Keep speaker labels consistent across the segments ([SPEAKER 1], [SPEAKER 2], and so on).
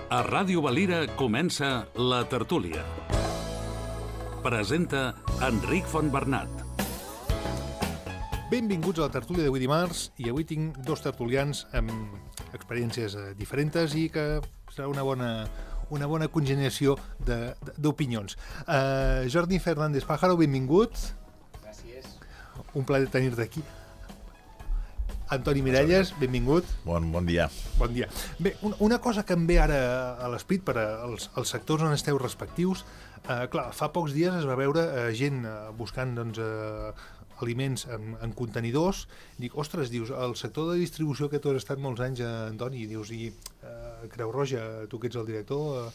[SPEAKER 1] A Ràdio Valira comença La Tertúlia. Presenta Enric Fontbernat.
[SPEAKER 2] Benvinguts a La Tertúlia d'avui dimarts, i avui tinc dos tertulians amb experiències diferents i que serà una bona congeniació d'opinions. Jordi Fernández Pájaro, benvingut.
[SPEAKER 3] Gràcies.
[SPEAKER 2] Un plaer tenir-te aquí. Antoni Miralles, benvingut.
[SPEAKER 3] Bon dia.
[SPEAKER 2] Bon dia. Bé, una cosa que em ve ara a l'esprit per als sectors on esteu respectius, clar, fa pocs dies es va veure gent buscant aliments en contenidors. Dic, ostres, dius, el sector de distribució que tu has estat molts anys, Antoni, dius, i Creu Roja, tu que ets el director,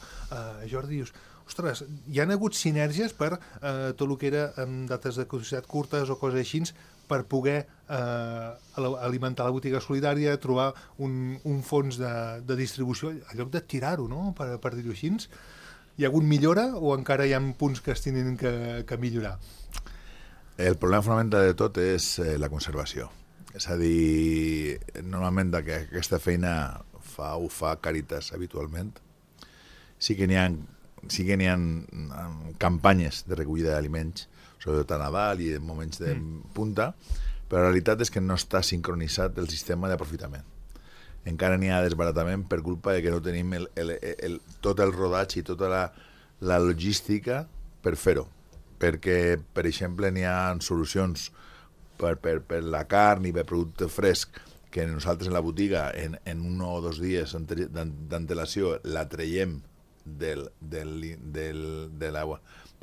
[SPEAKER 2] Jordi, dius, ostres, hi han hagut sinergies per tot el que era amb dates de caducitat curtes o coses així, per poder alimentar la botiga solidària, trobar un fons de distribució, en lloc de tirar-ho, no?, per dir-ho així. Hi ha hagut millora o encara hi ha punts que es tenen que millorar?
[SPEAKER 3] El problema fonamental de tot és la conservació. És a dir, normalment aquesta feina ho fa Càritas habitualment. Sí que n'hi ha campanyes de recollida d'aliments, sobretot a Nadal i en moments de punta, però la realitat és que no està sincronitzat el sistema d'aprofitament. Encara n'hi ha desbaratament per culpa de que no tenim tot el rodatge i tota la logística per fer-ho. Perquè, per exemple, n'hi ha solucions per la carn i per producte fresc que nosaltres en la botiga en 1 o 2 dies d'antelació la traiem de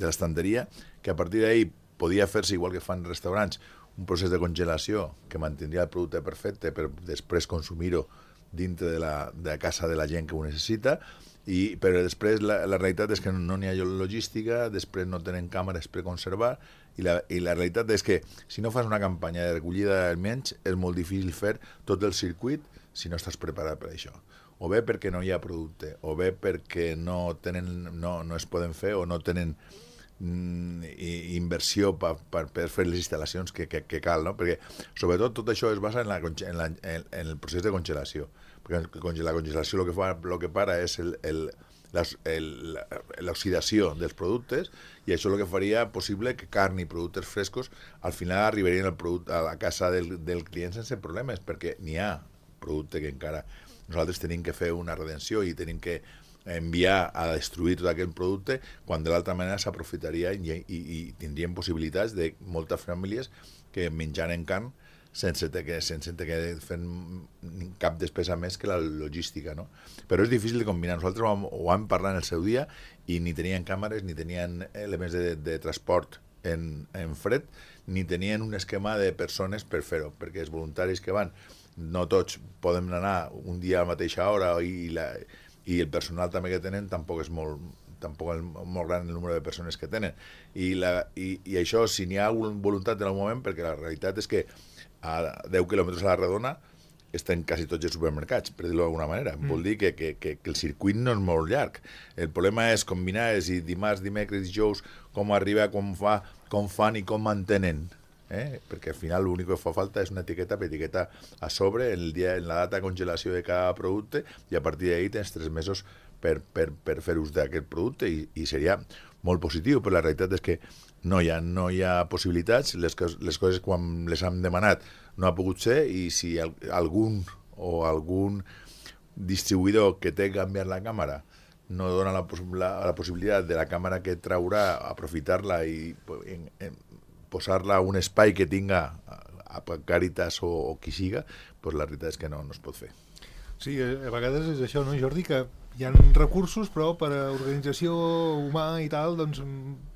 [SPEAKER 3] l'estanteria, que a partir d'ahir podia fer-se igual que fan restaurants, un procés de congelació que mantindria el producte perfecte per després consumir-ho dintre de la casa de la gent que ho necessita, però després la realitat és que no n'hi ha logística, després no tenen càmeres per conservar, i la realitat és que si no fas una campanya de recollida d'aliments és molt difícil fer tot el circuit si no estàs preparat per això. O bé perquè no hi ha producte, o bé perquè no es poden fer o no tenen inversió per fer les instal·lacions que cal, no? Perquè sobretot tot això es basa en el procés de congelació, perquè la congelació el que para és l'oxidació dels productes, i això el que faria possible que carn i productes frescos al final arribarien a la casa del client sense problemes, perquè n'hi ha producte que encara nosaltres tenim que fer una redenció i tenim que enviar a destruir tot aquest producte, quan de l'altra manera s'aprofitaria i tindrien possibilitats de moltes famílies que menjaren carn sense que fent cap despesa més que la logística, no? Però és difícil de combinar. Nosaltres ho vam parlar en el seu dia i ni tenien càmeres, ni tenien elements de transport en fred, ni tenien un esquema de persones per fer-ho, perquè els voluntaris que van, no tots poden anar un dia a la mateixa hora, i el personal també que tenen tampoc és molt gran el número de persones que tenen. I això, si n'hi ha voluntat en el moment, perquè la realitat és que a 10 quilòmetres a la redona estan quasi tots els supermercats, per dir-ho d'alguna manera. Vol dir que el circuit no és molt llarg. El problema és combinar dimarts, dimecres, dijous, com arriba, com fan i com mantenen. Perquè al final l'únic que fa falta és una etiqueta a sobre en la data de congelació de cada producte, i a partir d'ahir tens 3 mesos per fer ús d'aquest producte, i seria molt positiu, però la realitat és que no hi ha possibilitats. Les coses, quan les hem demanat, no ha pogut ser, i si algun distribuïdor que té que canviar la càmera no dona la possibilitat de la càmera que traurà, aprofitar-la i posar-la a un espai que tinga a Càritas o qui siga, doncs la veritat és que no es pot fer.
[SPEAKER 2] Sí, a vegades és això, no, Jordi, que hi ha recursos, però per a organització humà i tal, doncs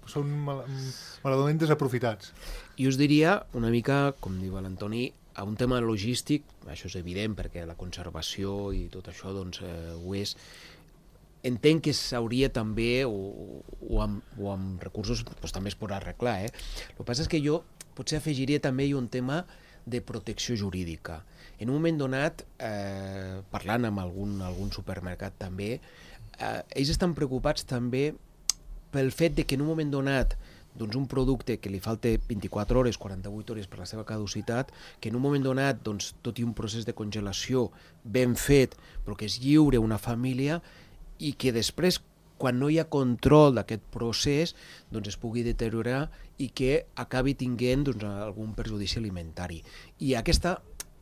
[SPEAKER 2] són malament desaprofitats.
[SPEAKER 4] Jo us diria una mica, com diu l'Antoni, a un tema logístic, això és evident perquè la conservació i tot això doncs, ho és. Entenc que s'hauria també, o amb recursos, doncs també es pot arreglar. El que passa és que jo potser afegiria també un tema de protecció jurídica. En un moment donat, parlant amb algun supermercat també, ells estan preocupats també pel fet de que en un moment donat doncs un producte que li falta 24 hores, 48 hores per la seva caducitat, que en un moment donat, doncs, tot i un procés de congelació ben fet, però que es lliure una família, i que després, quan no hi ha control d'aquest procés, doncs es pugui deteriorar i que acabi tinguent doncs, algun perjudici alimentari. I aquesta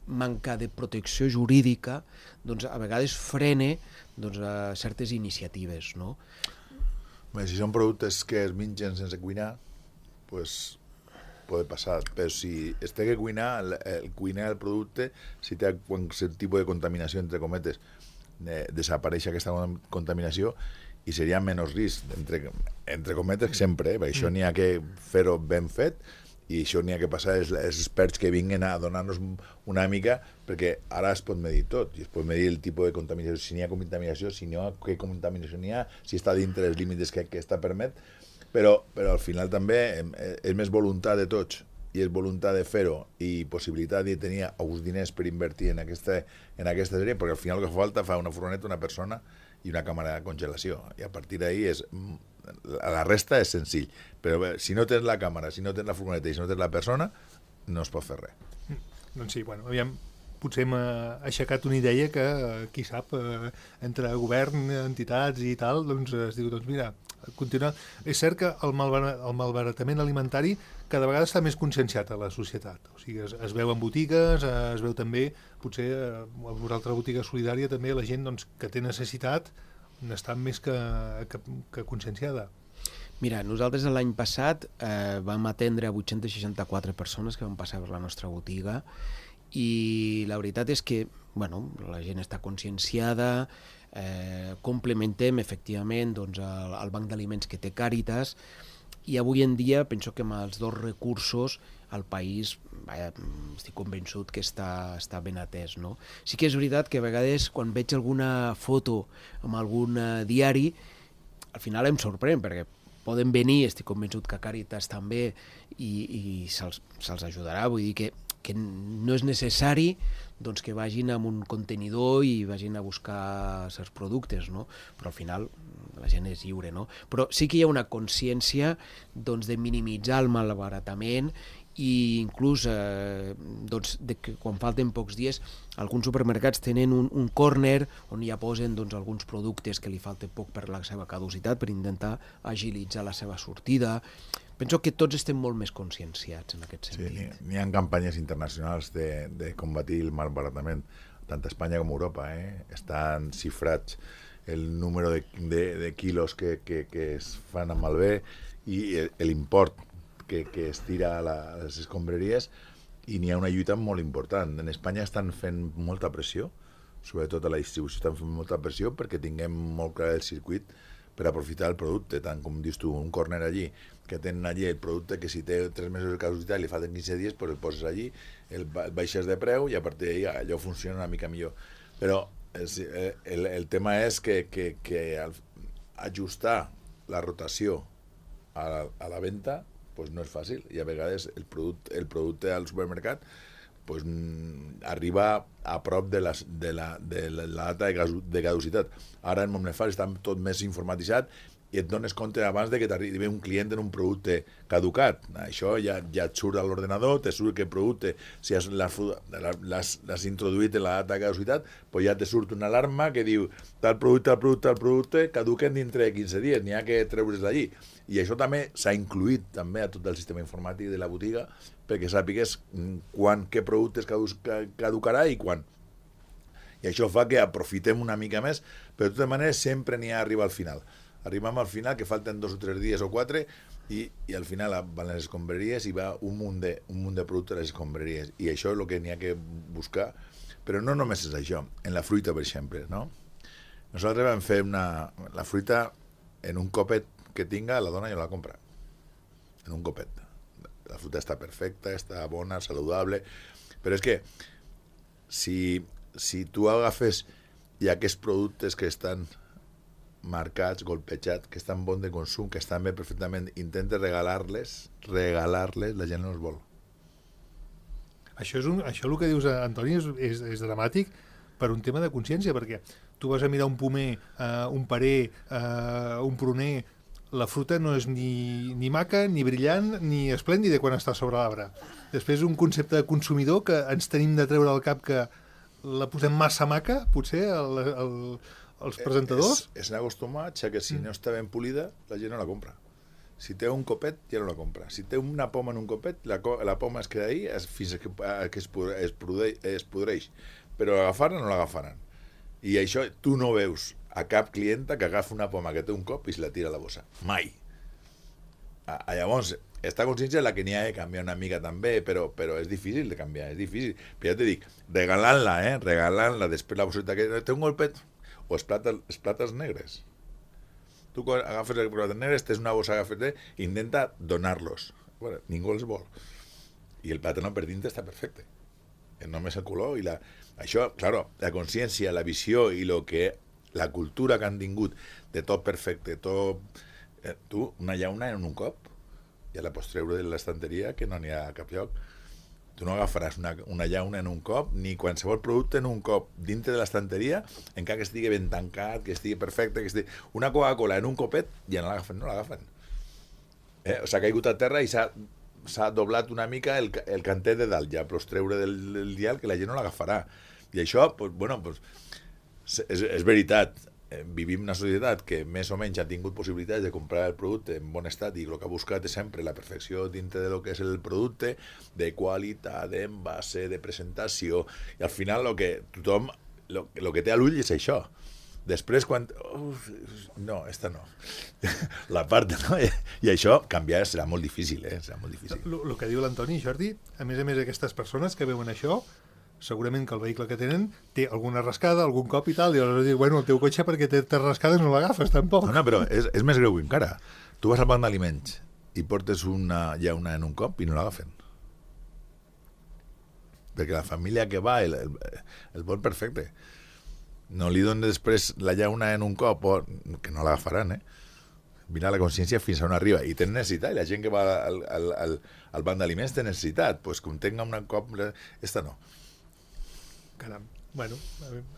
[SPEAKER 4] manca de protecció jurídica doncs, a vegades frena doncs, certes iniciatives, no?
[SPEAKER 3] Bé, si són productes que es mengen sense cuinar, pues pot passar, però si es té que cuinar, el cuinar el producte, si té qualsevol tipus de contaminació, entre cometes, desapareix aquesta contaminació i seria menys risc, entre cometes sempre, perquè això n'hi ha que fer-ho ben fet i això n'hi ha que passar els experts que vinguin a donar-nos una mica, perquè ara es pot medir tot, i es pot medir el tipus de contaminació, si n'hi ha contaminació, si no, què contaminació n'hi ha, si està dintre dels límits que està permet, però al final també és més voluntat de tots, i és voluntat de fer-ho, i possibilitat de tenir uns diners per invertir en aquesta sèrie, perquè al final el que fa falta fa una furgoneta, una persona i una càmera de congelació, i a partir d'ahí la resta és senzill, però bé, si no tens la càmera, si no tens la furgoneta i si no tens la persona, no es pot fer res.
[SPEAKER 2] Doncs sí, bueno, aviam, potser hem aixecat una idea que, qui sap, entre govern, entitats i tal, doncs es diu, doncs mira, continuar. És cert que el malbaratament alimentari cada vegada està més conscienciat a la societat. O sigui, es veu en botigues, es veu també, potser a vosaltres botiga solidària, també la gent doncs, que té necessitat n'està més que conscienciada.
[SPEAKER 4] Mira, nosaltres l'any passat vam atendre 864 persones que van passar per la nostra botiga i la veritat és que bueno, la gent està conscienciada, complementem efectivament doncs, el banc d'aliments que té Càritas i avui en dia penso que amb els dos recursos el país estic convençut que està ben atès. No? Sí que és veritat que a vegades quan veig alguna foto amb algun diari al final em sorprèn perquè poden venir, estic convençut que Càritas també i se'ls ajudarà, vull dir que no és necessari doncs, que vagin amb un contenidor i vagin a buscar certs productes, no? Però al final la gent és lliure, no? Però sí que hi ha una consciència doncs, de minimitzar el malbaratament i inclús doncs, de que quan falten pocs dies alguns supermercats tenen un córner on ja posen doncs, alguns productes que li falta poc per la seva caducitat per intentar agilitzar la seva sortida. Penso que tots estem molt més conscienciats en aquest sentit.
[SPEAKER 3] Sí, n'hi ha campanyes internacionals de combatir el malbaratament, tant a Espanya com a Europa. Estan xifrats el número de quilos que es fan amb malbé i l'import que es tira a les escombraries i n'hi ha una lluita molt important. En Espanya estan fent molta pressió, sobretot a la distribució estan fent molta pressió perquè tinguem molt clar el circuit per aprofitar el producte, tant com dius tu, un córner allí, que tenen allí el producte que si té 3 mesos de caducitat i li falten 15 dies, pues el poses allí, el baixes de preu i a partir d'ahí allò funciona una mica millor. Però el tema és que ajustar la rotació a la venda pues no és fàcil i a vegades el producte al supermercat pues, arriba a prop de la data de caducitat. Ara en Momnefar està tot més informatitzat i et dones compte abans de que t'arribi un client en un producte caducat. Això ja et surt a l'ordenador, te surt que el producte, si l'has introduït en la data de caducitat, pues ja te surt una alarma que diu tal producte caduquen dintre de 15 dies, n'hi ha que treure's d'allí. I això també s'ha incluït també a tot el sistema informàtic de la botiga perquè sàpigues què productes caducarà i quan. I això fa que aprofitem una mica més, però de totes maneres sempre n'hi ha arribar al final. Arribem al final, que falten 2 o 3 dies o 4, i al final van les escombraries i va un munt de productes a les escombraries. I això és el que n'hi ha que buscar. Però no només és això. En la fruita, per exemple, no? Nosaltres vam fer la fruita en un copet que tinga, la dona jo la compra. En un copet. La fruita està perfecta, està bona, saludable. Però és que si tu agafes i aquests productes que estan marcats, golpejats, que estan bons de consum, que estan bé perfectament, intentes regalar-les, la gent no els vol.
[SPEAKER 2] Això el que dius, Antoni, és dramàtic per un tema de consciència, perquè tu vas a mirar un pomer, un parer, un pruner, la fruta no és ni maca, ni brillant, ni esplèndida quan està sobre l'arbre. Després un concepte de consumidor que ens tenim de treure al cap que la posem massa maca, potser els presentadors?
[SPEAKER 3] És un acostumat que si no està ben polida, la gent no la compra. Si té un copet, ja no la compra. Si té una poma en un copet, la poma es queda ahí fins que es podreix. Però l'agafaran o no l'agafaran. I això tu no veus a cap clienta que agafa una poma que té un cop i se la tira a la bossa. Mai. Llavors, esta consciència és la que n'hi ha de canviar una mica també, però és difícil de canviar, és difícil. Però ja te dic, regalant-la, després la bosseta que té un golpet, o els plàtans negres. Tu agafes els plàtans negres, tens una bossa, intenta donar-los. Bueno, ningú els vol. I el plàtano per dintre està perfecte. Només el color i això, claro, la consciència, la visió i la cultura que han tingut de tot perfecte, tot... Tu, una llauna en un cop, ja la pots treure de l'estanteria que no n'hi ha a cap lloc. Tu no agafaràs una llauna en un cop, ni qualsevol producte en un cop dintre de l'estanteria, encara que estigui ben tancat, que estigui perfecte, que estigui... Una Coca-Cola en un copet, ja no l'agafen. O s'ha caigut a terra i s'ha doblat una mica el cantet de dalt, ja pots treure del dial que la gent no l'agafarà. I això, és veritat, vivim en una societat que més o menys ha tingut possibilitats de comprar el producte en bon estat i el que ha buscat és sempre la perfecció dintre del que és el producte, de qualitat, d'envase, de presentació, i al final el que té a l'ull és això. Després, quan... no, esta no. La part, no? I això, canviar serà molt difícil, serà molt difícil.
[SPEAKER 2] El que diu l'Antoni, Jordi, a més aquestes persones que veuen això, segurament que el vehicle que tenen té alguna rascada, algun cop i tal, i aleshores diu, bueno, el teu cotxe perquè té rascades no l'agafes, tampoc.
[SPEAKER 3] No, però és més greu encara. Tu vas al banc d'aliments i portes una llauna en un cop i no l'agafen. Perquè la família que va el vol perfecte. No li donen després la llauna en un cop, que no l'agafaran, Mira la consciència fins a on arriba. I tenen necessitat, i la gent que va al banc d'aliments té necessitat. Pues com tenga una cop... Esta no.
[SPEAKER 2] Caram. Bueno,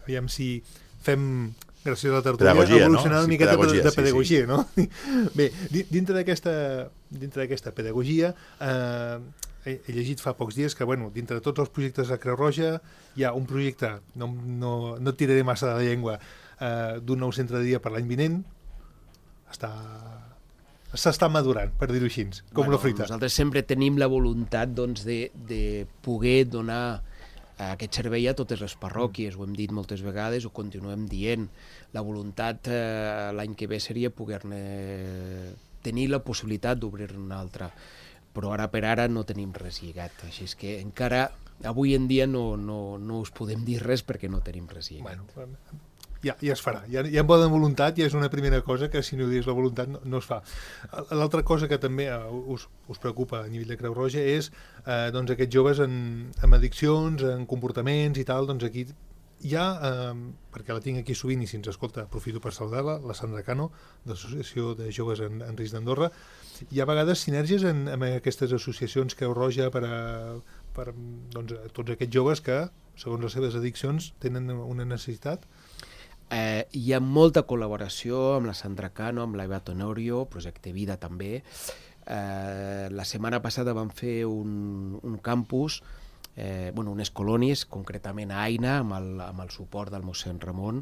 [SPEAKER 2] aviam si fem, gràcies a la tertúlia, evolucionar una miqueta de pedagogia, no? Bé, dintre d'aquesta pedagogia, he llegit fa pocs dies que, bueno, dintre de tots els projectes de Creu Roja hi ha un projecte, no et tiraré massa de la llengua, d'un nou centre de dia per l'any vinent. S'està madurant, per dir-ho així, com la fruita.
[SPEAKER 4] Nosaltres sempre tenim la voluntat de poder donar aquest servei a totes les parròquies, ho hem dit moltes vegades, ho continuem dient. La voluntat l'any que ve seria poder-ne tenir la possibilitat d'obrir-ne una altra, però ara per ara no tenim res lligat, així és que encara avui en dia no us podem dir res perquè no tenim res lligat.
[SPEAKER 2] Bueno, ja es farà, ja en bona voluntat, ja és una primera cosa que si no hi és la voluntat no es fa. L'altra cosa que també us preocupa a nivell de Creu Roja és doncs aquests joves amb addiccions, en comportaments i tal, doncs aquí hi ha, perquè la tinc aquí sovint i si ens escolta aprofito per saludar-la, la Sandra Cano, de l'Associació de Joves en Risc d'Andorra. Hi ha a vegades sinergies amb aquestes associacions Creu Roja per doncs, tots aquests joves que, segons les seves addiccions, tenen una necessitat.
[SPEAKER 4] Hi ha molta col·laboració amb la Sandra Cano, amb l'Eva Tenorio, Projecte Vida també. La setmana passada vam fer un campus, unes colònies, concretament a Aina, amb el suport del mossèn Ramon,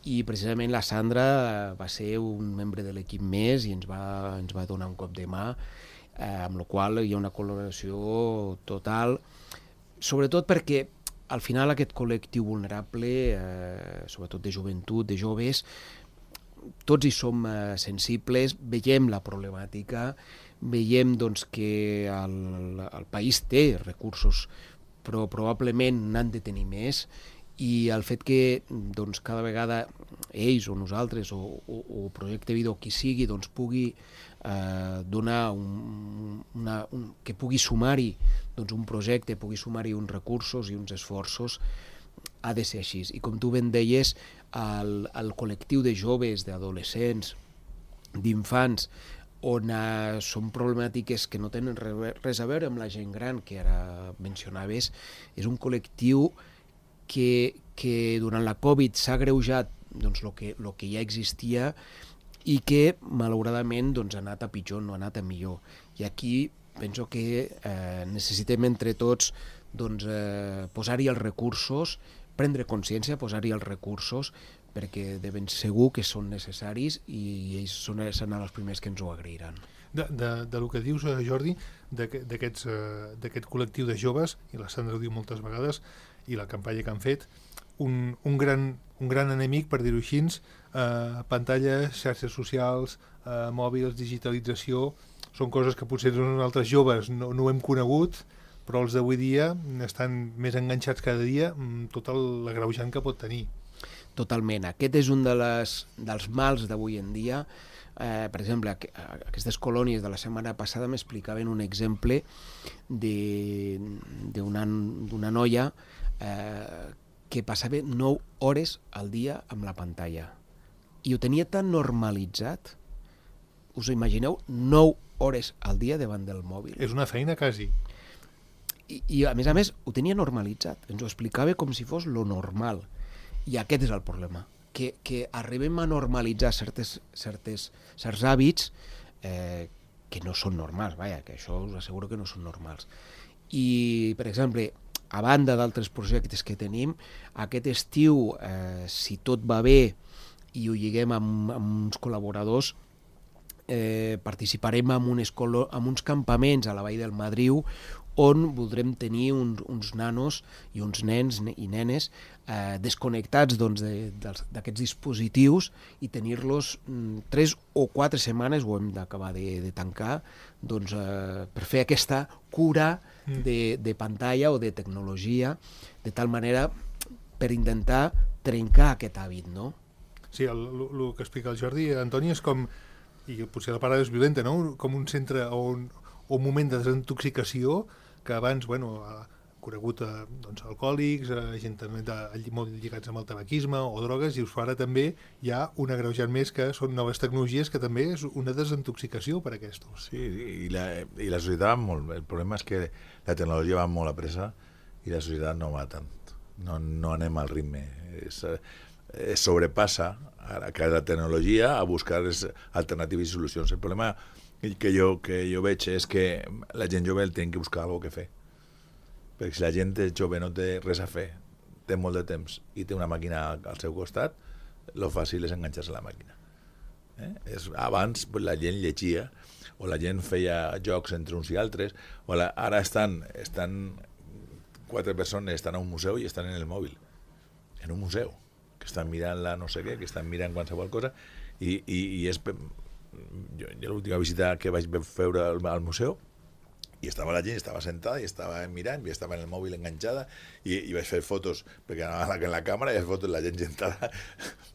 [SPEAKER 4] i precisament la Sandra va ser un membre de l'equip més i ens va donar un cop de mà, amb la qual hi ha una col·laboració total, sobretot perquè al final aquest col·lectiu vulnerable, sobretot de joventut, de joves, tots hi som sensibles, veiem la problemàtica, veiem doncs, que el país té recursos, però probablement n'han de tenir més, i el fet que doncs, cada vegada ells o nosaltres o Projecte Vida o qui sigui doncs, pugui donar que pugui sumar-hi doncs, un projecte, pugui sumar-hi uns recursos i uns esforços, ha de ser així. I com tu ben deies, el col·lectiu de joves, d'adolescents, d'infants, on són problemàtiques que no tenen res a veure amb la gent gran, que ara mencionaves, és un col·lectiu que durant la Covid s'ha agreujat doncs, el que ja existia i que malauradament doncs, ha anat a pitjor, no ha anat a millor. I aquí penso que necessitem entre tots doncs, posar-hi els recursos, prendre consciència, posar-hi els recursos perquè de ben segur que són necessaris i ells seran els primers que ens ho agrairan.
[SPEAKER 2] Del que dius, Jordi, d'aquest col·lectiu de joves, i la Sandra ho diu moltes vegades, i la campanya que han fet, un gran enemic, per dir-ho així, pantalles, xarxes socials, mòbils, digitalització, són coses que potser nosaltres joves no ho hem conegut, però els d'avui dia estan més enganxats cada dia amb tot l'agreujant que pot tenir.
[SPEAKER 4] Totalment. Aquest és un dels mals d'avui en dia. Per exemple, aquestes colònies de la setmana passada m'explicaven un exemple d'una noia que passava 9 hores al dia amb la pantalla i ho tenia tan normalitzat. Us ho imagineu? 9 hores al dia davant del mòbil.
[SPEAKER 2] És una feina, quasi.
[SPEAKER 4] I a més, ho tenia normalitzat. Ens ho explicava com si fos lo normal. I aquest és el problema, que arribem a normalitzar certs hàbits que no són normals, que això us asseguro que no són normals. I, per exemple, a banda d'altres projectes que tenim, aquest estiu, si tot va bé i ho lliguem amb uns col·laboradors, participarem en uns campaments a la Vall del Madriu on voldrem tenir uns nanos i uns nens i nenes desconnectats d'aquests dispositius i tenir-los 3 o 4 setmanes, ho hem d'acabar de tancar, per fer aquesta cura de pantalla o de tecnologia, de tal manera per intentar trencar aquest hàbit, no?
[SPEAKER 2] Sí, el que explica el Jordi, Antoni, és com, i potser la paraula és violenta, no? Com un centre o un moment de desintoxicació que abans, conegut alcohòlics, gent també molt lligats amb el tabaquisme o drogues, i ara també hi ha un agreujant més que són noves tecnologies que també és una desintoxicació per a aquestos.
[SPEAKER 3] Sí, i la societat va molt. El problema és que la tecnologia va molt a pressa i la societat no va tant. No anem al ritme. Sobrepassa la tecnologia a buscar alternatives i solucions. El problema que jo veig és que la gent jove té que buscar alguna cosa que fer. Perquè si la gent jove no té res a fer, té molt de temps i té una màquina al seu costat, el fàcil és enganxar-se a la màquina. Abans la gent llegia o la gent feia jocs entre uns i altres, ara estan 4 persones, estan a un museu i estan en el mòbil, en un museu, que estan mirant la no sé què, que estan mirant qualsevol cosa, i és... Jo l'última visita que vaig fer al museu, i estava la gent, estava sentada i estava mirant, i estava en el mòbil enganxada, i vaig fer fotos, perquè anava en la càmera, i vaig fer fotos la gent sentada,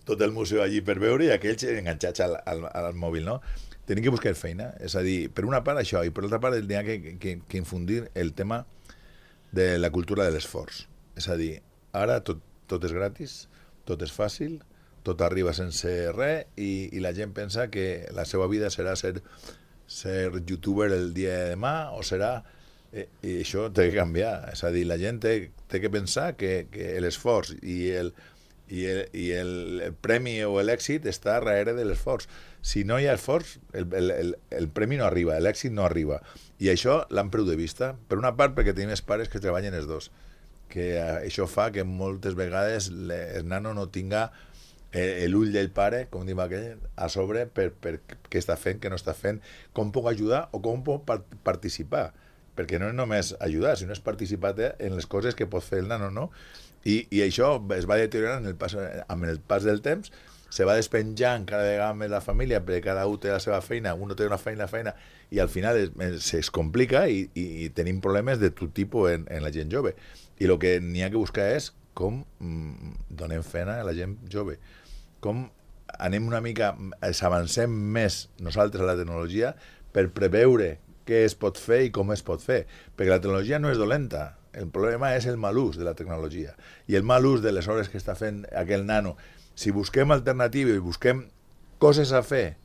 [SPEAKER 3] tot el museu allí per veure, i aquells enganxats al mòbil, no? Tenim que buscar feina, és a dir, per una part això, i per l'altra part n'hi ha que infundir el tema de la cultura de l'esforç. És a dir, ara tot és gratis, tot és fàcil, tot arriba sense res, i la gent pensa que la seva vida serà ser youtuber el dia de demà, o serà... I això té que canviar. És a dir, la gent té que pensar que l'esforç i el premi o l'èxit està darrere de l'esforç. Si no hi ha esforç, el premi no arriba, l'èxit no arriba. I això l'han perdut de vista. Per una part, perquè tenim els pares que treballen els dos, que això fa que moltes vegades el nano no tinga l'ull del pare, com diu aquell, a sobre per què està fent, què no està fent, com puc ajudar o com puc participar. Perquè no és només ajudar, sinó és participar en les coses que pot fer el nano, no? I això es va deteriorant amb el pas del temps, se va despenjant cada vegada més la família, perquè cada un té la seva feina, un té una feina, i al final es complica i tenim problemes de tot tipus en la gent jove. I el que n'hi ha que buscar és com donem feina a la gent jove, com anem una mica, avancem més nosaltres a la tecnologia per preveure què es pot fer i com es pot fer, perquè la tecnologia no és dolenta, el problema és el mal ús de la tecnologia i el mal ús de les hores que està fent aquell nano. Si busquem alternatives i busquem coses a fer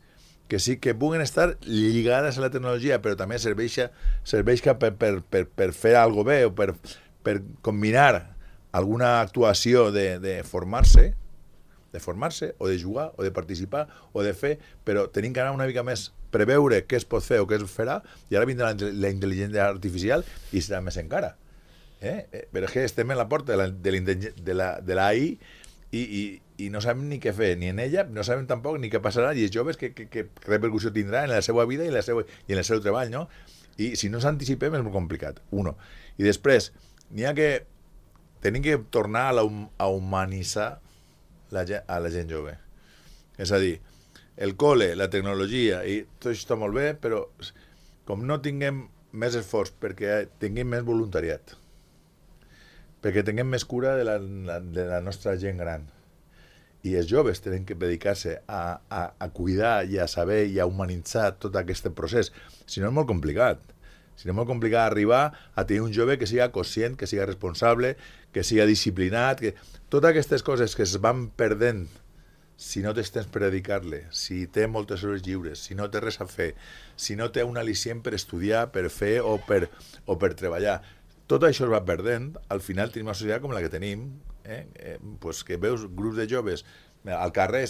[SPEAKER 3] que sí que puguen estar lligades a la tecnologia, però també serveixi per fer alguna cosa bé o per combinar alguna actuació de formarse o de jugar o de participar o de fer, però tenim que anar una mica més preveure què es pot fer o què es farà, i ara vindrà la intel·ligència artificial i serà més encara. Però és que estem en la porta de l'AI i i no sabem ni què fer, ni en ella, no sabem tampoc ni què passarà, i els joves què repercussió tindrà en la seva vida i en el seu treball, no? I si no s'anticipem és molt complicat, uno. I després, tenim que tornar a humanitzar a la gent jove. És a dir, el col·le, la tecnologia, i tot això està molt bé, però com no tinguem més esforç perquè tinguem més voluntariat, perquè tinguem més cura de la nostra gent gran, i els joves tenen que dedicar-se a cuidar i a saber i a humanitzar tot aquest procés. Si no és molt complicat. Si no és molt complicat arribar a tenir un jove que siga conscient, que siga responsable, que siga disciplinat, que totes aquestes coses que es van perdent si no tens temps per dedicar-le, si té moltes hores lliures, si no té res a fer, si no té un al·licient per estudiar, per fer o per treballar. Tot això es va perdent, al final tenim una societat com la que tenim, pues que veus grups de joves al carrer,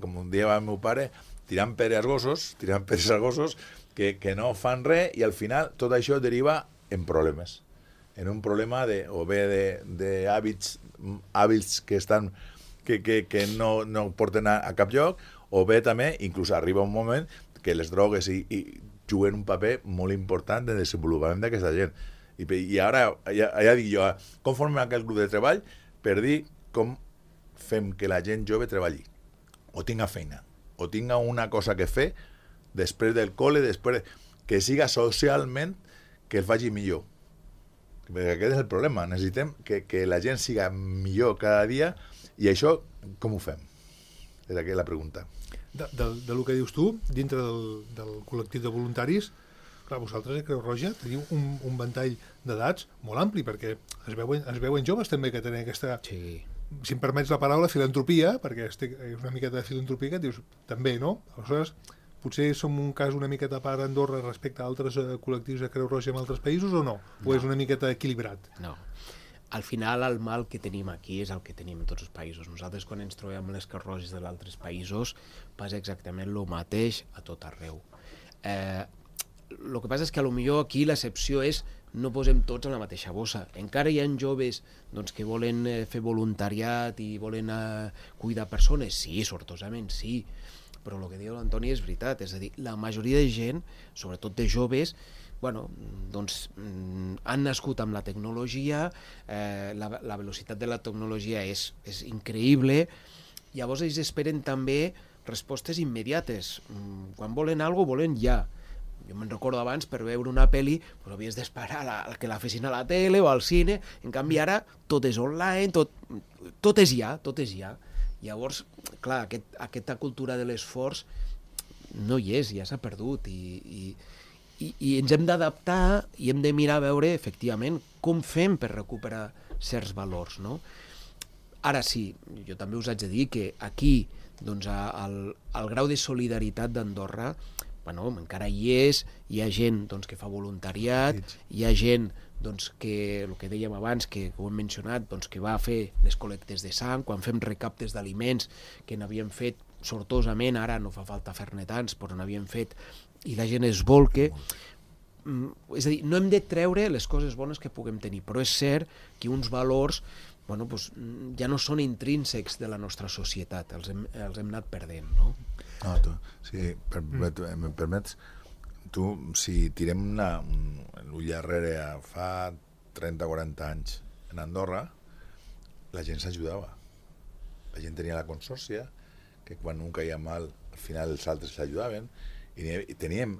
[SPEAKER 3] com un dia va el meu pare, tirant peres als gossos, que no fan res, i al final tot això deriva en problemes. En un problema o bé d'hàbits que no porten a cap lloc, o bé també, inclús arriba un moment que les drogues juguen un paper molt important en el desenvolupament d'aquesta gent. I ara ja dic jo, com formem aquest grup de treball per dir com fem que la gent jove treballi, o tinga feina, o tinga una cosa que fer després del col·le, que siga socialment que el faci millor. Perquè aquest és el problema, necessitem que la gent siga millor cada dia, i això com ho fem? És aquesta la pregunta.
[SPEAKER 2] Del que dius tu, dintre del col·lectiu de voluntaris, clar, vosaltres a Creu Roja teniu un ventall d'edats molt ampli, perquè es veuen joves també que tenen aquesta,
[SPEAKER 4] Sí.
[SPEAKER 2] si em permets la paraula, filantropia, perquè és una miqueta de filantropia que dius, també, no? Aleshores, potser som un cas una miqueta a part a Andorra respecte a altres col·lectius de Creu Roja en altres països, o no? O és una miqueta equilibrat?
[SPEAKER 4] No. Al final, el mal que tenim aquí és el que tenim en tots els països. Nosaltres, quan ens trobem amb les Creu Roges dels altres països, passa exactament el mateix a tot arreu. El que passa és que potser aquí l'excepció és no posem tots en la mateixa bossa. Encara hi ha joves doncs, que volen fer voluntariat i volen cuidar persones. Sí, sortosament, sí. Però el que diu l'Antoni és veritat. És a dir, la majoria de gent, sobretot de joves, doncs, han nascut amb la tecnologia, la velocitat de la tecnologia és increïble, llavors ells esperen també respostes immediates. Quan volen alguna cosa, volen ja. Jo me'n recordo abans, per veure una pel·li, doncs havies d'esperar que la fessin a la tele o al cine. En canvi ara tot és online, tot és ja, tot és ja. Llavors, clar, aquesta cultura de l'esforç no hi és, ja s'ha perdut, i ens hem d'adaptar i hem de mirar a veure, efectivament, com fem per recuperar certs valors, no? Ara sí, jo també us haig de dir que aquí, doncs, el grau de solidaritat d'Andorra, encara hi és, hi ha gent doncs, que fa voluntariat, hi ha gent doncs, que, el que dèiem abans, que ho hem mencionat, doncs, que va fer les col·lectes de sang, quan fem recaptes d'aliments que n'havíem fet sortosament, ara no fa falta fer-ne tants, però n'havíem fet, i la gent es volca. És a dir, no hem de treure les coses bones que puguem tenir, però és cert que uns valors ja no són intrínsecs de la nostra societat, els hem anat perdent, no?
[SPEAKER 3] Sí, em permets, tu, si tirem l'ull darrere fa 30-40 anys en Andorra, la gent s'ajudava. La gent tenia la consòrcia, que quan un caia mal, al final els altres s'ajudaven, i teníem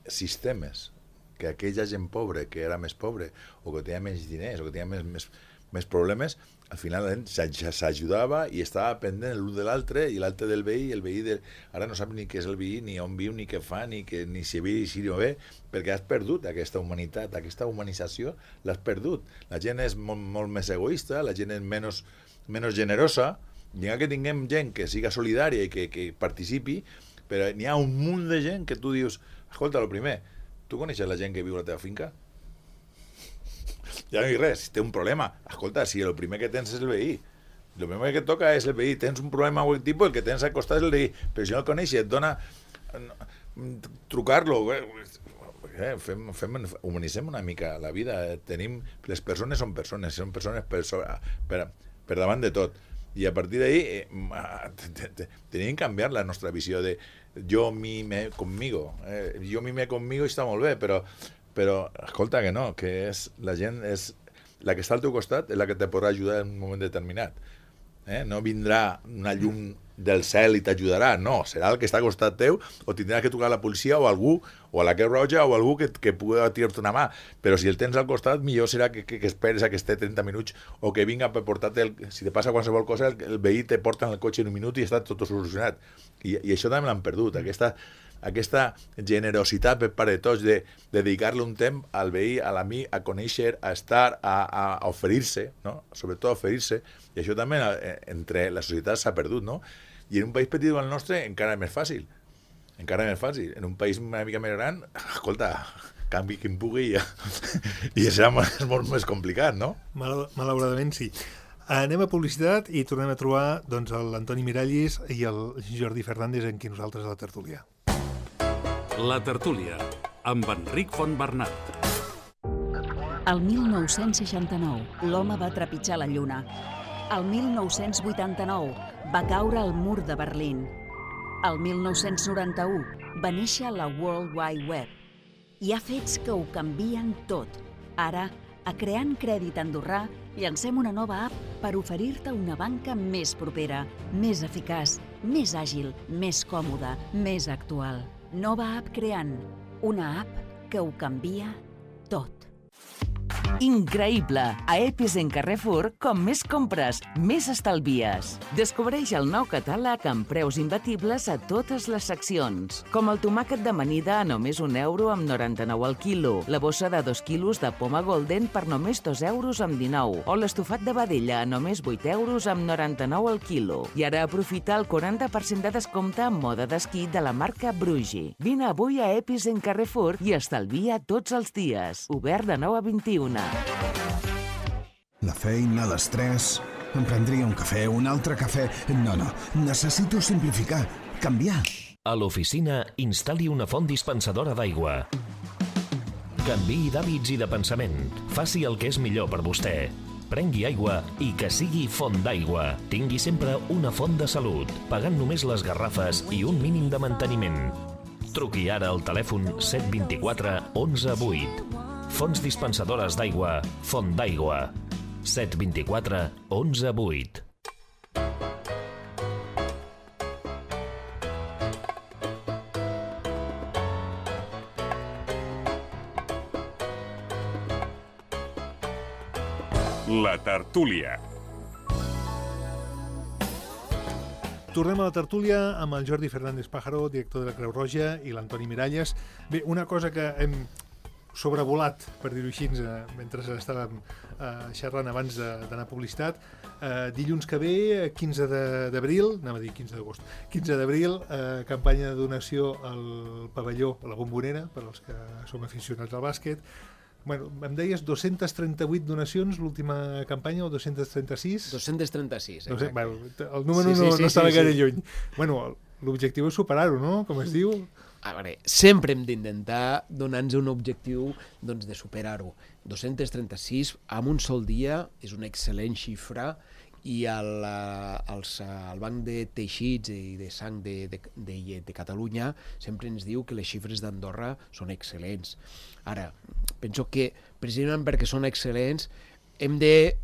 [SPEAKER 3] sistemes que aquella gent pobra, que era més pobre, o que tenia menys diners, o que tenia més problemes, al final s'ajudava i estava pendent l'un de l'altre, i l'altre del veí, i el veí ara no sap ni què és el veí, ni on viu, ni què fa, ni si ve i si no ve, perquè has perdut aquesta humanitat, aquesta humanització l'has perdut. La gent és molt més egoista, la gent és menys generosa, i que tinguem gent que siga solidària i que participi, però n'hi ha un munt de gent que tu dius, escolta, el primer, tu coneixes la gent que viu a la teva finca? Ja no hi res, si té un problema, escolta, si el primer que tens és el veí, el primer que et toca és el veí, tens un problema d'aquest tipus, el que tens al costat és el veí, però si no el coneixes, et dona trucar-lo, humanitzem una mica la vida, les persones són persones per davant de tot, I a partir d'ahí tenim que canviar la nostra visió de jo mime conmigo. Jo mime conmigo i està molt bé, però escolta que no, que és la gent és la que està al teu costat és la que te podrà ajudar en un moment determinat. No vindrà una llum del cel i t'ajudarà, no, serà el que està al costat teu, o tindràs que trucar a la policia o a algú, o a la Creu Roja o a algú que pugui tirar-te una mà, però si el tens al costat millor serà que esperes a que esté 30 minuts o que vinga per portar-te, si te passa qualsevol cosa el veí te porta en el cotxe en un minut i està tot solucionat, i això també l'han perdut, aquesta generositat per part de tots de dedicar-li un temps al veí, a l'amic, a conèixer, a estar, a oferir-se, no? Sobretot a oferir-se, i això també entre la societat s'ha perdut, no? I en un país petit com el nostre encara és més fàcil. Encara més fàcil. En un país una mica més gran, escolta, canvi qui en pugui i serà molt més complicat, no?
[SPEAKER 2] Malauradament sí. Anem a publicitat i tornem a trobar l'Antoni Miralles i el Jordi Fernández amb qui nosaltres a la tertúlia.
[SPEAKER 1] La tertúlia, amb Enric Fontbernat.
[SPEAKER 5] El 1969, l'home va trepitjar la Lluna. El 1989, va caure el mur de Berlín. El 1991, va néixer la World Wide Web. Hi ha fets que ho canvien tot. Ara, a Creant Crèdit Andorrà, llancem una nova app per oferir-te una banca més propera, més eficaç, més àgil, més còmoda, més actual. Nova app Creant, una app que ho canvia tot.
[SPEAKER 6] Increïble! A Epicent Carrefour, com més compres, més estalvies. Descobreix el nou catàleg amb preus imbatibles a totes les seccions. Com el tomàquet d'amanida a només €1 amb 99 al quilo, la bossa de 2 quilos de poma golden per només €2 amb 19, o l'estofat de vedella a només €8 amb 99 al quilo. I ara aprofita el 40% de descompte en moda d'esquí de la marca Brugi. Vine avui a Epicent Carrefour i estalvia tots els dies. Obert de 9 a 21.
[SPEAKER 7] La feina, l'estrès... Em prendria un cafè, un altre cafè... No, necessito simplificar, canviar.
[SPEAKER 8] A l'oficina, instal·li una font dispensadora d'aigua. Canviï d'hàbits i de pensament. Faci el que és millor per vostè. Prengui aigua i que sigui font d'aigua. Tingui sempre una font de salut, pagant només les garrafes i un mínim de manteniment. Truqui ara al telèfon 724 11 8. Fonts dispensadores d'aigua, Font d'Aigua. 724 11 8.
[SPEAKER 1] La tertúlia.
[SPEAKER 2] Tornem a la tertúlia amb el Jordi Fernández Pájaro, director de la Creu Roja, i l'Antoni Miralles. Bé, una cosa que hem sobrevolat, per dir-ho així, mentre estàvem xerrant abans d'anar a publicitat. Dilluns que ve, 15 d'abril, anava a dir 15 d'agost, 15 d'abril, campanya de donació al pavelló, a la Bombonera, per als que som aficionats al bàsquet. Bueno, em deies 238 donacions l'última campanya, o 236?
[SPEAKER 4] 236,
[SPEAKER 2] exacte. El número no estava gaire lluny. Bueno, l'objectiu és superar-ho, no? Com es diu?
[SPEAKER 4] A veure, sempre hem d'intentar donar-nos un objectiu de superar-ho. 236 en un sol dia és una excel·lent xifra i el Banc de Teixits i de Sang de Catalunya sempre ens diu que les xifres d'Andorra són excel·lents. Ara, penso que precisament perquè són excel·lents hem de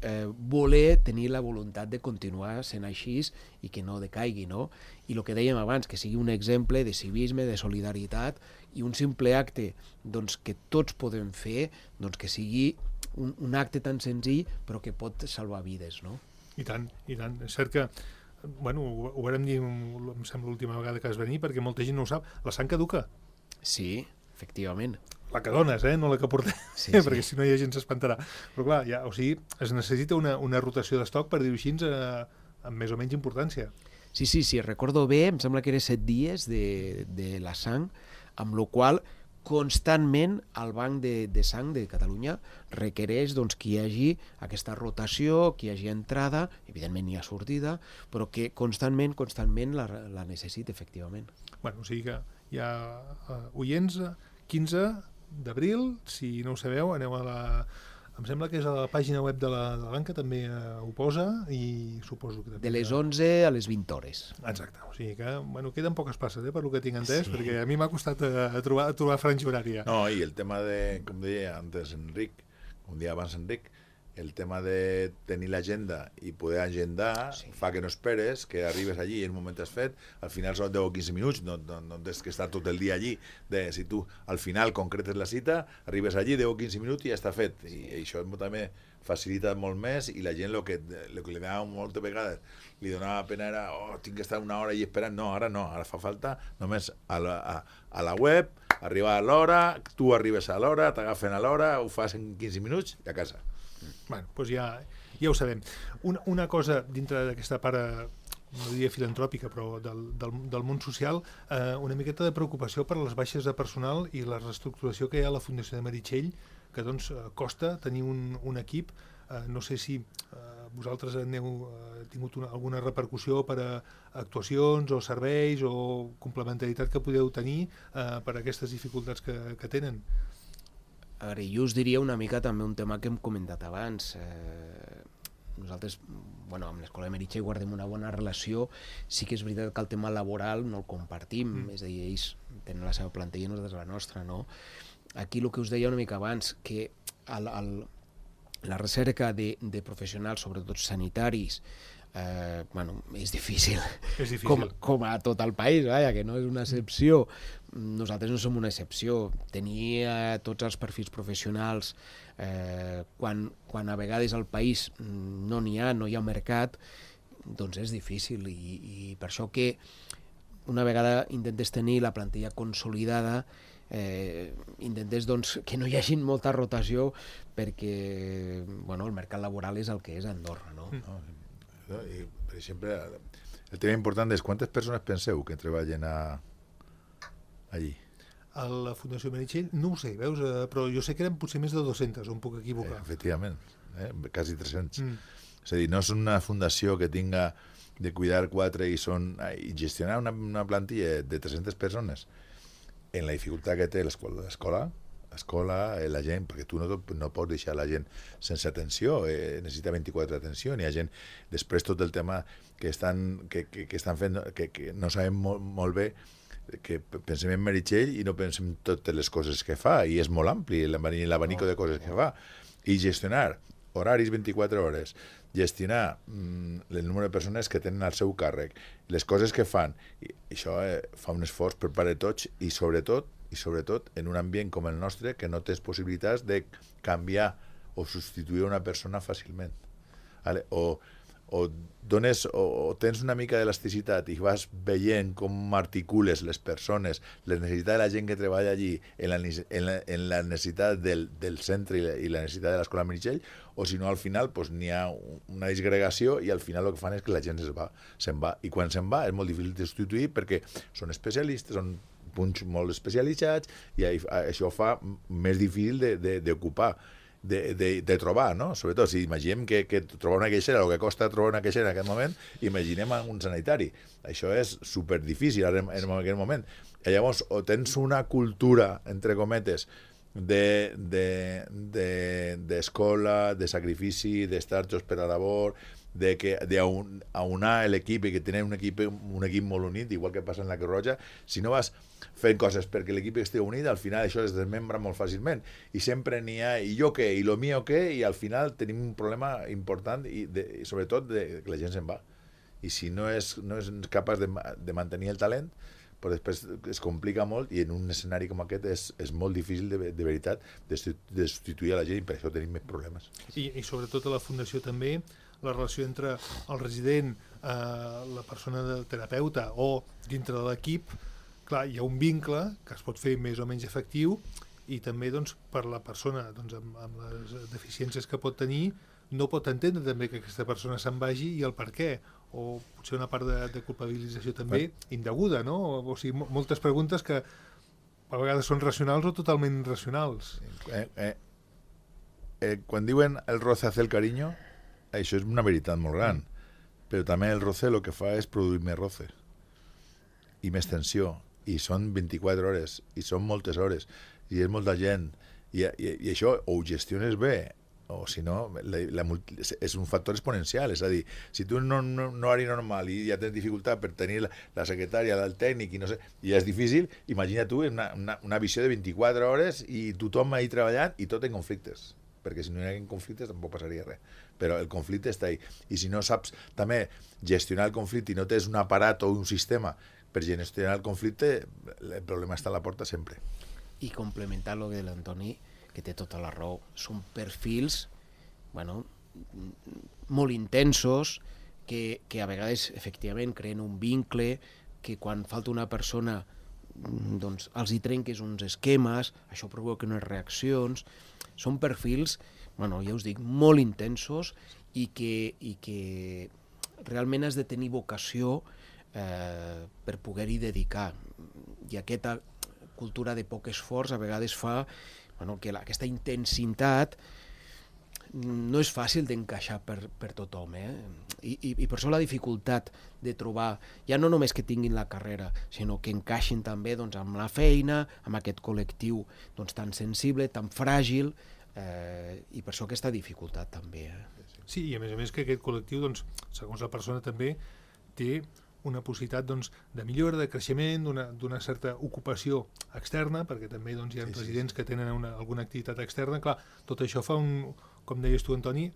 [SPEAKER 4] voler tenir la voluntat de continuar sent així i que no decaigui, no? I el que dèiem abans, que sigui un exemple de civisme, de solidaritat i un simple acte que tots podem fer, que sigui un acte tan senzill però que pot salvar vides, no?
[SPEAKER 2] I tant, i tant. És cert que, bueno, ho vam dir, em sembla, l'última vegada que vas venir, perquè molta gent no ho sap, la sang caduca.
[SPEAKER 4] Sí, efectivament.
[SPEAKER 2] La que dones, no la que portem, sí. Perquè si no hi ha gent s'espantarà. Però clar, es necessita una rotació d'estoc, per dir-ho així, amb més o menys importància.
[SPEAKER 4] Sí, recordo bé, em sembla que era 7 dies de la sang, amb la qual constantment el Banc de Sang de Catalunya requereix que hi hagi aquesta rotació, que hi hagi entrada, evidentment hi ha sortida, però que constantment la necessita, efectivament.
[SPEAKER 2] Bueno, o sigui que hi ha oients, 15 d'abril, si no ho sabeu, aneu a Em sembla que és a la pàgina web de la banca, també ho posa, i suposo que també...
[SPEAKER 4] De les 11 a les 20 hores.
[SPEAKER 2] Exacte, o sigui que, bueno, queden poques passes, per lo que tinc entès, perquè a mi m'ha costat trobar franja horària.
[SPEAKER 3] No, i el tema de, com deia antes Enric, com deia abans Enric, el tema de tenir l'agenda i poder agendar fa que no esperes, que arribes allí i en un moment has fet, al final són 10 o 15 minuts, no tens que estar tot el dia allí. Si tu al final concretes la cita, arribes allí 10 o 15 minuts i ja està fet. I això també facilita molt més, i la gent el que li donava moltes vegades, li donava pena era, tinc que estar una hora allí esperant. No, ara fa falta només a la web, arribar a l'hora, tu arribes a l'hora, t'agafen a l'hora, ho fas en 15 minuts i a casa.
[SPEAKER 2] Bueno, doncs ja ho sabem. Una cosa dintre d'aquesta part, no diria filantròpica, però del món social, una miqueta de preocupació per les baixes de personal i la reestructuració que hi ha a la Fundació de Meritxell, que doncs costa tenir un equip. No sé si vosaltres heu tingut alguna repercussió per a actuacions o serveis o complementaritat que podeu tenir per a aquestes dificultats que tenen.
[SPEAKER 4] A veure, jo us diria una mica també un tema que hem comentat abans. Nosaltres, amb l'Escola de Meritxell guardem una bona relació. Sí que és veritat que el tema laboral no el compartim, és a dir, ells tenen la seva plantilla i nosaltres la nostra, no? Aquí el que us deia una mica abans, que la recerca de professionals, sobretot sanitaris, és difícil.
[SPEAKER 2] És difícil.
[SPEAKER 4] Com a tot el país, que no és una excepció. Nosaltres no som una excepció. Tenir tots els perfils professionals quan a vegades al país no hi ha mercat, doncs és difícil, i per això que una vegada intentes tenir la plantilla consolidada, intentes que no hi hagi molta rotació, perquè el mercat laboral és el que és a Andorra, no?
[SPEAKER 3] I, per exemple, el tema important és quantes persones penseu que treballen allí?
[SPEAKER 2] A la Fundació Meritxell no ho sé, veus? Però jo sé que eren potser més de 200, o em puc equivocar.
[SPEAKER 3] Efectivament, quasi 300. És a dir, no és una fundació que tinga de cuidar 4 i gestionar una plantilla de 300 persones en la dificultat que té l'escola, la gent, perquè tu no pots deixar la gent sense atenció, necessita 24 d'atenció, hi ha gent, després tot el tema que estan fent, que no sabem molt bé, que pensem en Meritxell i no pensem totes les coses que fa, i és molt ampli l'abanico de coses que fa, i gestionar horaris 24 hores, gestionar el número de persones que tenen al seu càrrec, les coses que fan, i això fa un esforç per part de tots, i sobretot en un ambient com el nostre, que no tens possibilitats de canviar o substituir una persona fàcilment. O tens una mica d'elasticitat i vas veient com articules les persones, les necessitats de la gent que treballa allí en la necessitat del centre i la necessitat de l'Escola Meritxell, o si no, al final n'hi ha una disgregació i al final el que fan és que la gent se'n va. I quan se'n va és molt difícil de substituir perquè són especialistes, són punts molt especialitzats, i això fa més difícil d'ocupar, de trobar, no? Sobretot, si imaginem que trobar una queixera, el que costa trobar una queixera en aquest moment, imaginem un sanitari. Això és superdifícil en aquest moment. I llavors, o tens una cultura, entre cometes, d'escola, de sacrifici, d'estar tots per a labor, d'aunar l'equip i que tenen un equip molt unit, igual que passa en la Creu Roja. Si no vas fent coses perquè l'equip estigui unit, al final això es desmembra molt fàcilment, i sempre n'hi ha i jo què, i lo mío què, i al final tenim un problema important, i sobretot que la gent se'n va, i si no és capaç de mantenir el talent, però després es complica molt, i en un escenari com aquest és molt difícil de veritat de substituir a la gent, i per això tenim més problemes.
[SPEAKER 2] I sobretot a la Fundació també, la relació entre el resident, la persona del terapeuta o dintre de l'equip, clar, hi ha un vincle que es pot fer més o menys efectiu, i també per la persona amb les deficiències que pot tenir, no pot entendre també que aquesta persona se'n vagi i el per què, o potser una part de culpabilització també indeguda, no? O sigui, moltes preguntes que a vegades són racionals o totalment irracionals.
[SPEAKER 3] Quan diuen el roce hace el cariño, això és una veritat molt gran, però també el roce el que fa és produir més roce i més tensió, i són 24 hores, i són moltes hores, i és molta gent, i això o ho gestiones bé o si no, és un factor exponencial, és a dir, si tu no eres normal i ja tens dificultat per tenir la secretària, el tècnic, i no sé, i és difícil, imagina tu una visió de 24 hores i tothom ahí treballant i tot en conflictes, perquè si no hi ha conflictes tampoc passaria res, però el conflicte està ahí, i si no saps també gestionar el conflicte i no tens un aparat o un sistema per gestionar el conflicte, el problema està a la porta sempre.
[SPEAKER 4] I complementar el de l'Antoni, que té tota la raó, són perfils molt intensos, que a vegades efectivament creen un vincle, que quan falta una persona doncs els hi trenques uns esquemes, això provoca unes reaccions. Són perfils, ja us dic, molt intensos i que realment has de tenir vocació per poder-hi dedicar. I aquesta cultura de poc esforç a vegades fa que aquesta intensitat no és fàcil d'encaixar per tothom, i per això la dificultat de trobar, ja no només que tinguin la carrera, sinó que encaixin també amb la feina, amb aquest col·lectiu tan sensible, tan fràgil, i per això aquesta dificultat també.
[SPEAKER 2] Sí, i a més que aquest col·lectiu, segons la persona també, té una possibilitat de millora, de creixement, d'una certa ocupació externa, perquè també hi ha residents que tenen alguna activitat externa. Clar, tot això fa com deies tu, Antoni,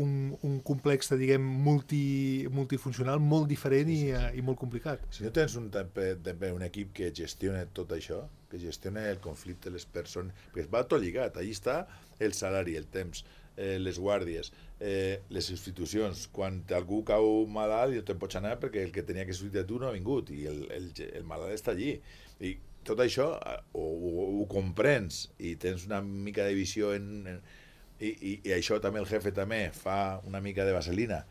[SPEAKER 2] un complex, diguem, multifuncional molt diferent i molt complicat.
[SPEAKER 3] Si no tens també un equip que gestiona tot això, que gestiona el conflicte, les persones, perquè va tot lligat, allà està el salari, el temps, les guàrdies, les substitucions. Quan algú cau malalt i no te'n pots anar perquè el que tenia que substituir tu no ha vingut i el malalt està allí. I tot això ho comprens i tens una mica de visió i això també el jefe també fa una mica de vaselina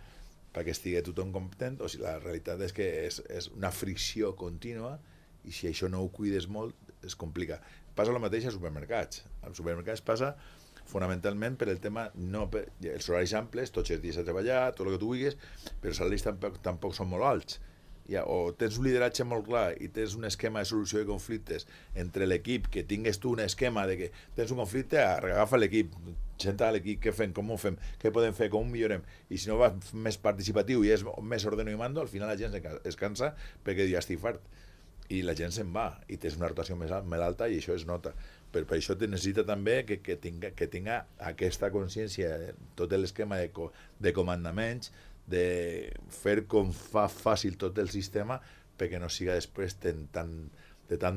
[SPEAKER 3] perquè estigui tothom content. O sigui, la realitat és que és una fricció contínua i si això no ho cuides molt es complica. Passa el mateix als supermercats. Als supermercats passa fonamentalment per el tema, els horaris amples, tots els dies a treballar, tot el que tu vulguis, però els salaris tampoc són molt alts. O tens un lideratge molt clar i tens un esquema de solució de conflictes entre l'equip, que tingues tu un esquema de que tens un conflicte, agafa l'equip, senta l'equip, què fem, com ho fem, què podem fer, com ho millorem, i si no va més participatiu i és més ordeno i mando, al final la gent es cansa perquè ja estic fart i la gent se'n va i tens una rotació més alta i això es nota. Per això necessita també que tinga aquesta consciència, tot l'esquema de comandaments, de fer com fa fàcil tot el sistema perquè no siga després de tant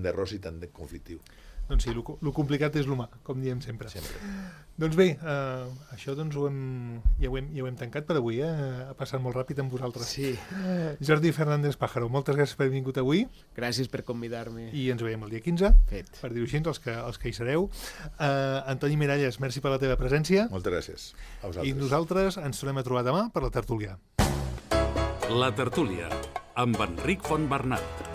[SPEAKER 3] d'errors i tant de conflictiu.
[SPEAKER 2] Doncs sí, el complicat és l'humà, com diem sempre. Doncs bé, això ja ho hem tancat per avui, ha passat molt ràpid amb vosaltres.
[SPEAKER 4] Sí.
[SPEAKER 2] Jordi Fernández Pájaro, moltes gràcies per haver vingut avui.
[SPEAKER 4] Gràcies per convidar-me.
[SPEAKER 2] I ens veiem el dia 15, per dir-ho així, els que hi sereu. Antoni Miralles, merci per la teva presència.
[SPEAKER 3] Moltes gràcies a vosaltres.
[SPEAKER 2] I nosaltres ens tornem a trobar demà per la tertúlia.
[SPEAKER 1] La tertúlia, amb Enric Fontbernat.